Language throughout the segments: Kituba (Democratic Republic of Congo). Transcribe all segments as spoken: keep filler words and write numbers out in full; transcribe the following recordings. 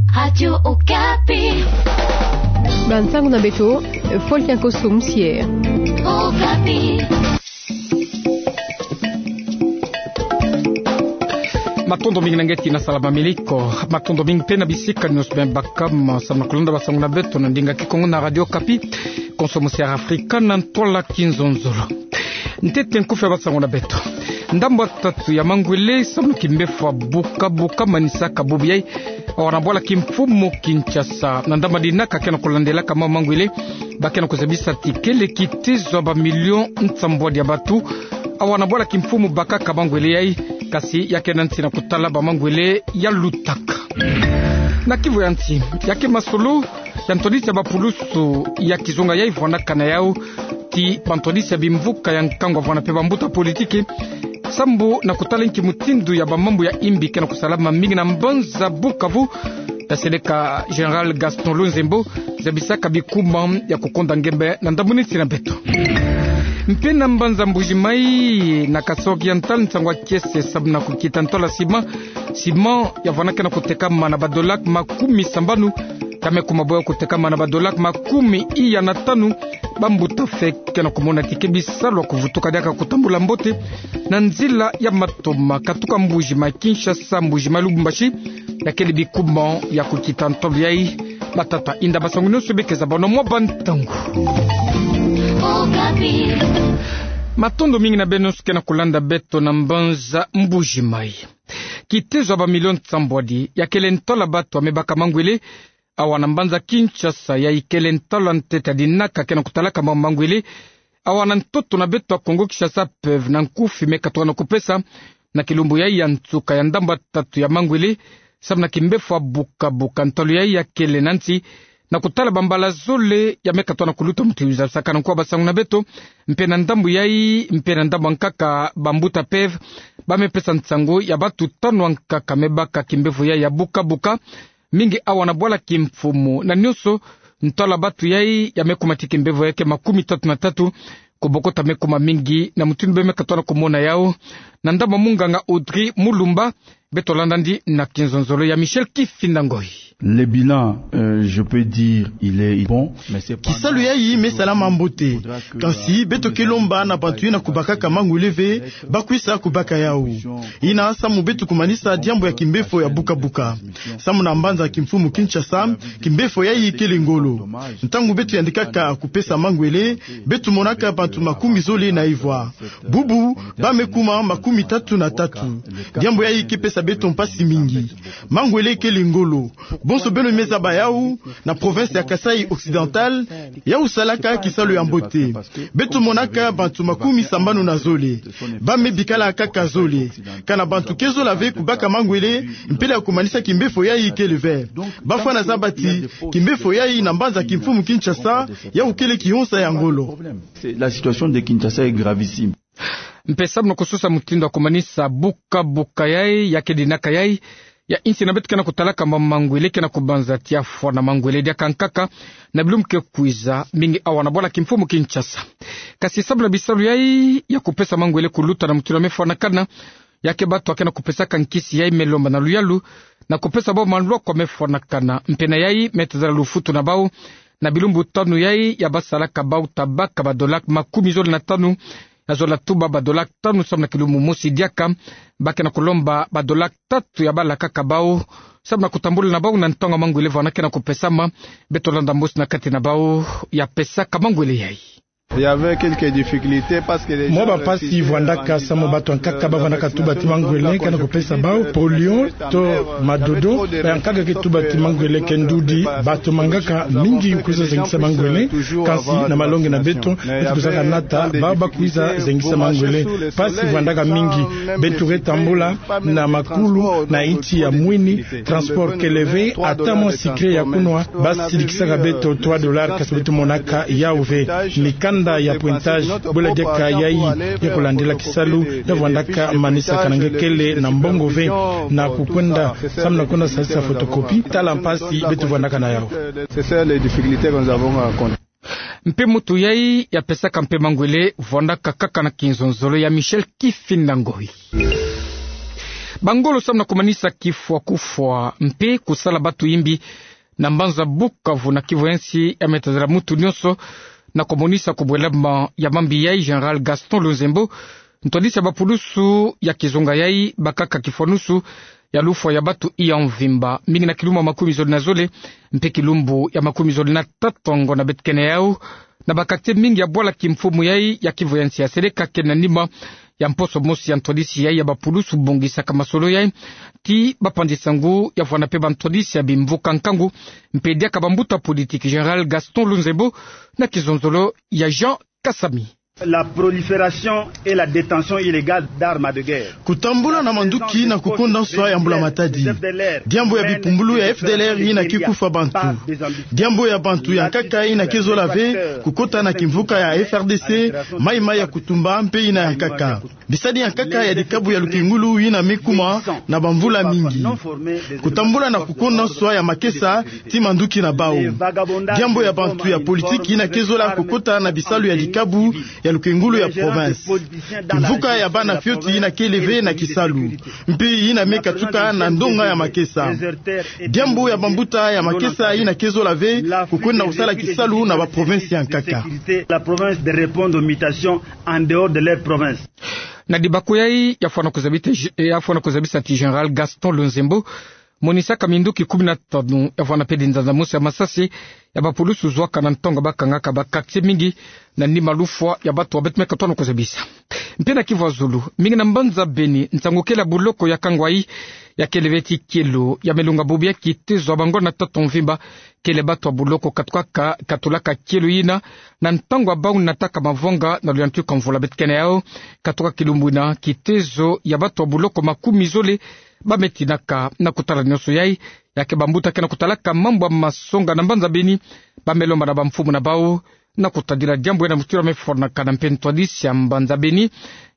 Radio Okapi. Bansango na beto, Paul Kiankoso Msier. Okapi. Matondo mingi na nge tina salama miliko. Matondo mingi mpe na bisika nyonso beno baka, samu na kulanda bansango na beto na ndinga Kikongo na Radio Okapi. Konso Msier Afrika na ntwala kinzonzolo. Ntete nkufi ya bansango na beto. Ndambu ya tatu ya mangwele samu na kimbefo ya bukabuka manisaka bubu yai awa na bwala kimfumu Kinshasa. Na ndambu ya dinaka ke na kulandelaka ma mangwele, ba ke na kuzabisa ti kele kitezo ya bamilio nsambwadi ya bantu awa na bwala kimfumu bakaka mangwele yai, kasi ya ke na nsi na kutala bamangwele ya lutaka. Na Kivu ya nsi, ya ke masolo ya ntondisi ya bapulusu ya kizunga yai vwanakana yau ti bantondisi ya bimvuka ya nkangu vwana mpe bambuta politiki, sambu na kutala nki mutindu ya bamambu ya imbi ke na kusalama mingi na mbanza Bukavu, ya seleka Général Gaston Lunzembo, zabisaka bikuma ya kukonda ngembe na ndambu niti na beto. Mpe na mbanza Mbuji-Mayi, na Kasaï Oriental, nsangu ya kiese samu na kukita ntwala ciment, ciment ya vwanakana kutekama na badolak makumi sambanu, ka me kuma bo ya kutekama na badolak makumi iya na tanu. Bambuta fe ke na kumona ti ke bisalu ya kuvutuka diaka kutambula mbote na nzila ya matoma katuka Mbuji-Mayi Kinshasa, Mbuji-Mayi Lubumbashi, ya kele bikuma ya kukita ntwala yai. Batata inda bansango nyonso beke zabana mwa bantangu. Matondo mingi na beno nyonso ke na kulanda beto na mbanza Mbuji-Mayi. Kitezo ya bamilio nsambwadi ya kele ntwala bantu ya me baka mangwele awa na mbanza Kinshasa, yai kele ntwala ntete ya dinaka ke na kutalaka ma mangwele awa na ntoto na beto ya Kongo Kinshasa, peuve na nkufi me katuka na kupesa na kilumbu yai ya nsuka ya ndambu ya tatu ya mangwele samu na kimbefo ya bukabuka. Ntwala yai ya kele na nsi na kutala bambala zole ya me katuka na kuluta mutindu zabisaka na nkuwa bansango na beto. Mpe na ndambu yai, mpe na ndambu ya nkaka, bambuta peuve ba me pesa nsangu ya bantu tanu ya nkaka me baka kimbefo yai ya bukabuka mingi awa na bwala kimfumu. Na nyonso, ntwala bantu yai ya me kuma ti kimbefo yai ke makumi tatu na tatu. Kubokota me kuma mingi na mutindu beno me katuka na kumona yau na ndambu ya munganga Audrey Mulumba. Beto landa yandi na kinzonzolo ya Michel Kifinda Ngoi. Le bilan, euh, je peux dire, il est bon, mais c'est pas... Kisalu yai me salama mbote. Kansi beto ke lomba na bantu yina kubakaka mangwele ve ba kwisa kubaka yau. Yina samu beto kumanisa diambu ya kimbefo ya bukabuka. Samu na mbanza kimfumu Kinshasa, kimbefo yai kele ngolo. Ntangu beto yandikaka kupesa mangwele, beto monaka bantu makumi zole na ivwa. Bubu, ba me kuma makumi tatu na tatu. Diambu yai ke pesa beto mpasi mingi. Mangwele kele ngolo. Bonso beno me zaba yau, na province ya Kasaï Occidental, yau salaka kisalu ya mbote. Beto monaka bantu makumi sambanu na zole. Ba me bikala kaka zole. Kana bantu ke zola ve kubaka mangwele, mpila ya kumanisa kimbefo yai kele ve. Ba fwana zaba ti kimbefo yai na mbanza kimfumu Kinshasa, yau kele kihonsa ya ngolo. C'est, la situation de Kinshasa est gravissime. Mpe samu na kusosa mutindu ya kumanisa bukabuka yai, ya ke dinaka yai, ya insi na beto ke na kutalaka ma mangwele ke na kubanza ti ya fwana mangwele diaka nkaka na bilumbu ke kwiza, mingi awa na bwala kimfumu Kinshasa. Kasi samu na bisalu yai ya kupesa mangwele kuluta na mutindu ya me fwanakana, ya ke bantu ya ke na kupesaka nkisi yai me lomba na luyalu na kupesa bau malwaku ya me fwanakana. Mpe na yai me tazala lufutu na bau na bilumbu tanu yai ya ba salaka bau tabaka badolak makumi zole na tanu, ya zola tuba badolak tanu samu na kilumbu mosi diaka. Ba ke na kulomba badolak tatu ya ba lakaka bau samu na kutambula na bau na ntangu ya mangwele vwana ke na kupesama. Beto landa mosi na kati na bau ya pesaka mangwele yai. Il y avait quelques difficultés parce que les gens... Mwa bampasi vwandaka samu bantu ya nkaka ba vwandaka tuba ti mangwele ke na kupesa bau polio to madodo. Ba ya nkaka ke tuba ti mangwele ke ndudi, bantu mangaka mingi kwiza zengisa mangwele. Kansi na malongi na beto, beto kwizaka nata bau ba kwiza zengisa mangwele. Mpasi vwandaka mingi, beto ke tambula na makulu na insi ya mwini, transport kele ve, ata mwa sucre ya kunwa ba silikisaka beto trois dollars, kansi beto monaka yau ve. Mikanda ya pointage, bula diaka yai ya kulandila kisalu ya vwandaka manisaka na nge kele na mbongo ve na kukwenda samu na kwenda salisa photocopie. Tala mpasi beto vwandaka na yau. C'est ça les difficultés que nous avons rencontrées. Mpe mutu yai ya pesaka mpe mangwele vwandaka kaka na kinzonzolo ya Michel Kifinda Ngoi. Bangolo samu na kumanisa kifwa kufwa mpe kusala batu imbi na mbanza Bukavu na Kivu ya Nsi, ya me tazela mutu nionso na kumonisa kubwelama ya mambi yayi Général Gaston Luzembo, ntwadisi ya bapulusu ya kizunga yayi, bakaka kifwanusu ya lufwa ya batu iya mvimba, mingi na kilumbu ya makumi zole na zole mpe kilumbu ya makumi zole na tatu ngonda beto kena yawu, na ba quartier mingi ya bwala kimfumu yayi ya Kivu ya Nsi, ya seleka kena nima ya mposo mosi ya ntwadisi yayi ya bapulusu bongisaka masolo yayi, ti bapanzi-nsangu ya vwanda mpe bantwadisi ya bimvuka nkangu mpe diaka bambuta politiki. Général Gaston Luzembo na kizonzolo ya Jean Kasami. La prolifération et la détention illégale d'armes de guerre. Kutambula na manduki na kukonda nswa ya mbula matadi. Diambu ya bipumbulu ya F D L R yina ke kufwa bantu. Diambu ya bantu ya nkaka yina ke zola ve kukota na kimvuka ya F R D C, mayi-mayi ya kutumba mpe yina ya nkaka. Bisadi ya nkaka ya dikabu ya lukengulu yina me kuma na bamvula mingi. Kutambula na kukonda nswa ya makesa ti manduki na bawu. Diambu ya bantu ya politiki yina ke zola kukota na bisalu ya dikabu ya lukengulu ya province. Kimvuka ya bana fioti yina kele ve na kisalu, mpe yina me katuka na ndonga ya makesa. Diambu ya bambuta ya makesa yina ke zola ve kukwenda kusala kisalu na baprovince ya nkaka. La province de répondre aux mutations en dehors de leur province. Na dibako yayi, ya fwana kuzabisa, ya fwana kuzabisa ti Général Gaston Luzembo monisaka minduki kumi na tanu, ya vwanda mpe dinzanza mosi ya masasi ya bapulusu zwaka na ntangu bakangaka ba quartier mingi na nima lufwa ya batu wa beto me katwa na kuzabisa. Mpe na Kivu ya Zulu, mingi na mbanza Beni, nsangu kele ya buloko ya kangwai, ya kele ve ti kielo, ya me lunga bubu ya kitezo ya bangonda tatu mvimba, kele batu ya buloko katukaka, katulaka kielo yina, na ntangu ya bawu nataka mavanga na luyantika mvula beto kena yawu, katuka kilumbu yina kitezo ya batu ya buloko makumi zole ba me tinaka. Na kutala nionso yayi, ya ke bambuta ke na kutalaka mambu ya masonga na mbanza Beni, ba me lomba na bamfumu na bawu na kutadila diambu yayi na mutilu ya me fwanakana. Mpe ntwadisi ya mbanza Beni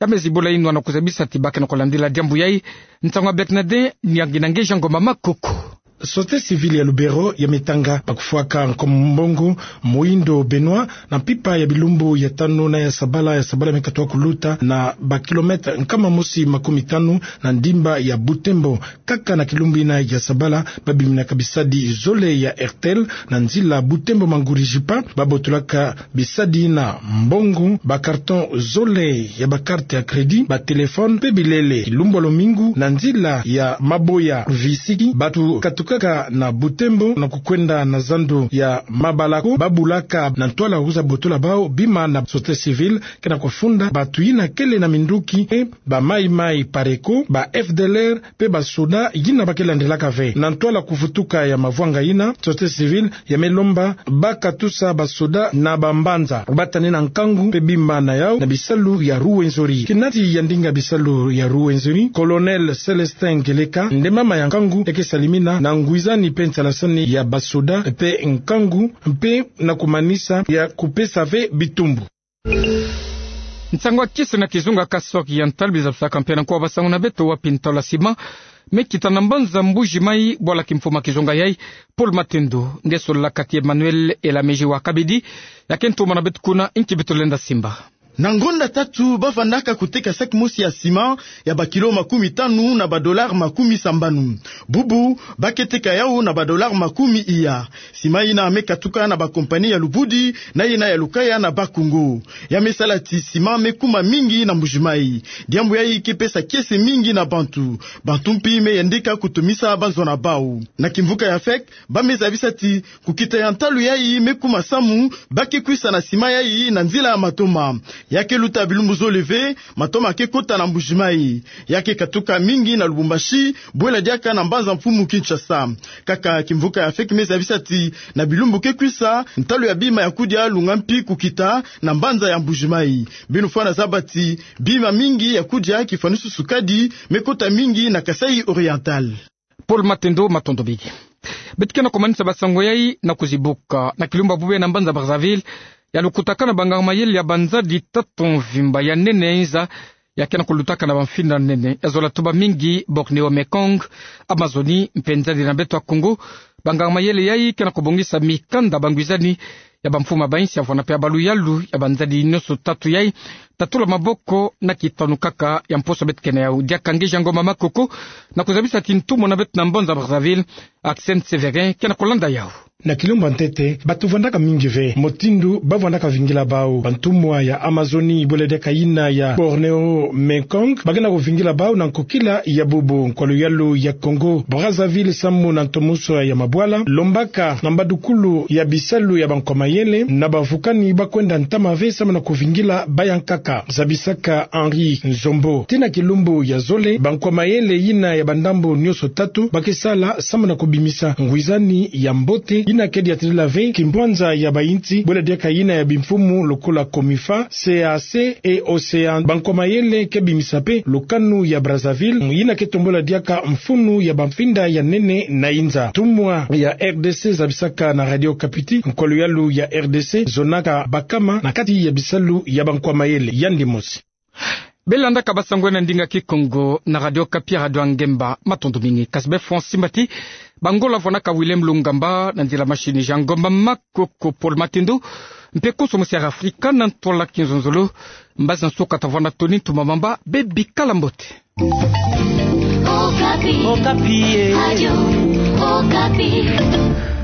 ya me zibula inwa na kuzabisa ti ba ke na kulandila diambu yayi. Nsangu ya Bernadin Nyangi na nge Jean Ngoma Makoko. Société civile ya Lubero ya me tanga bakufwaka nko mbongo Moindo Benoît na mpimpa ya bilumbu ya tanu na ya sabala, ya sabala me katwa kuluta na ba kilomètre nkama mosi makumi tanu na ndimba ya Butembo. Kaka na kilumbu yina ya sabala, ba biminaka bisadi zole ya Airtel na nzila Butembo Manguri Jipa, ba botolaka bisadi na mbongo, ba carton zole ya ba carte ya crédit, ba téléphone mpe bilele. Kilumbu ya lomingu, na nzila ya Maboya Visiki, batu katukaka na Butembo na kukwenda na zando ya Mabalako, ba bulaka na ntwala kwiza botola bawu bima. Na société civile ke na kufunda batu yina kele na minduki, e, ba Mai Mai Pareko, ba F D L R, mpe basoda yina ba ke landelaka ve. Na ntwala kuvutuka ya mavwanga yina, société civile ya me lomba ba katusa basoda na bambanza ba tani na nkangu mpe bima na yawu na bisalu ya Rwenzori. Kinati ya ndinga bisalu ya Rwenzori, Colonel Célestin Ngeleka, nde mama ya nkangu ya ke salimina na ngwizani mpe nsalasani ya basoda mpe nkangu, mpe na kumanisa ya kupesa ve bitumbu. Nsangu ya kiese na kizunga Kaso Oriental. Biza lusaka mpe na nko wa basangu na beto wapi ntalu ya sima me kita na mbanza Mbuji-Mayi, bwala kimfumu ya kizunga yayi Paul Matendo nge sololaka ti Emmanuel Elamezi wa Kabidi, ya ke ntumana beto kuna. Inki beto lenda simba? Na ngonda tatu ba vandaka kuteka saki mosi ya sima ya ba kilo makumi tanu na ba dollars makumi sambanu. Bubu ba ke teka yawu na ba dollars makumi iya. Sima yina me katuka na ba compagnie ya Lubudi na yina ya Lukaya na Bas-Congo. Ya me sala ti sima me kuma mingi na Mbuji-Mayi. Diambu yayi ke pesa kiese mingi na bantu. Bantu mpi me yandika kutumisa banzo na bawu. Na kimvuka ya Fek, ba me zabisa ti kukita ya ntalu yayi me kuma samu ba ke kwisa na sima yayi na nzila ya matoma. Ya ke luta bilumbu zole ve, matoma ke kota na Mbuji-Mayi. Ya ke katuka mingi na Lubumbashi, bwela diaka na mbanza mfumu Kinshasa. Kaka kimvuka ya Fek me zabisa ti na bilumbu ke kwisa, ntalu ya bima ya kudia lunga mpi kukita na mbanza ya Mbuji-Mayi. Beno fwana zaba ti bima mingi ya kudia, kifwanusu sukadi, me kota mingi na Kasaï Oriental. Paul Matendo, matondo mingi. Beto ke na kumanisa basangu yayi na kuzibuka na kilumbu ya bubu na mbanza Brazzaville, ya lukutakana banganga mayele ya banzadi tatu mvimba ya nene ya inza, ya ke na kulutaka na bamfinda nene ya zola tuba mingi: Bornéo, Mekong, Amazonie mpe nzadi na beto ya Congo. Banganga mayele yayi ke na kubongisa mikanda bangwizani ya bamfumu ya bainsi, ya vwanda pe ya baluyalu ya banzadi nyonso tatu yai, tatula maboko na kitanu kaka ya mposo beto kena yau. Diaka ngeja Ngomba Makoko na kuzabisa ti ntumwa na beto na mbanza Brazzaville, Axène Sévérin, kena kolanda yau. Na kilumbu ya ntete, bato vwandaka mingi ve motindo bavwandaka vingila bau. Bantumwa ya Amazonie, bwela diaka yina ya Borneo, Mekong, bakena kuvingila bau na nkokila ya bubu. Kwa luyalu ya Congo Brazzaville, samu na ntomoso ya mabwala, lombaka na mbadukulu ya bisalu ya bankwa mayele na bavukani bakwenda ntama ve samu na kuvingila bau ya nkaka, zabisaka Henri Nzombo. Tii na kilumbu ya zole, bankwa mayele yina ya bandambu nyonso tatu bakesala samu na kubimisa ngwizani ya mbote yina kedi ya tadila ve kimpwanza ya bainsi, bwela diaka yina ya bimfumu lokola COMIFA, CEEAC et OCEAN. Bankwa mayele ke bimisa pe lukanu ya Brazzaville, yina ke tombula diaka mfunu ya bamfinda ya nene na inza. Ntumwa ya R D C zabisaka na Radio Okapi ti, kwa luyalu ya R D C zonaka bakama na kati ya bisalu ya bankwa mayele. Yandi mosi. Belandaka basango na ndinga Kikongo na Radio Okapi, Radio ya Ngemba. Matondo mingi. Kasi bê Francis Mbati, ba ngolo vwandaka Willem Lungamba, na nzila machine Jean Ngomba Makoko, Paul Matendo, mpe konso mosi ya Afrika na ntwala kizonzolo. Mbazi na nsuka tavwanda Tony Ntumba Mamba, bê bikala mbote. Okapi. Okapi, eh. Radio Okapi.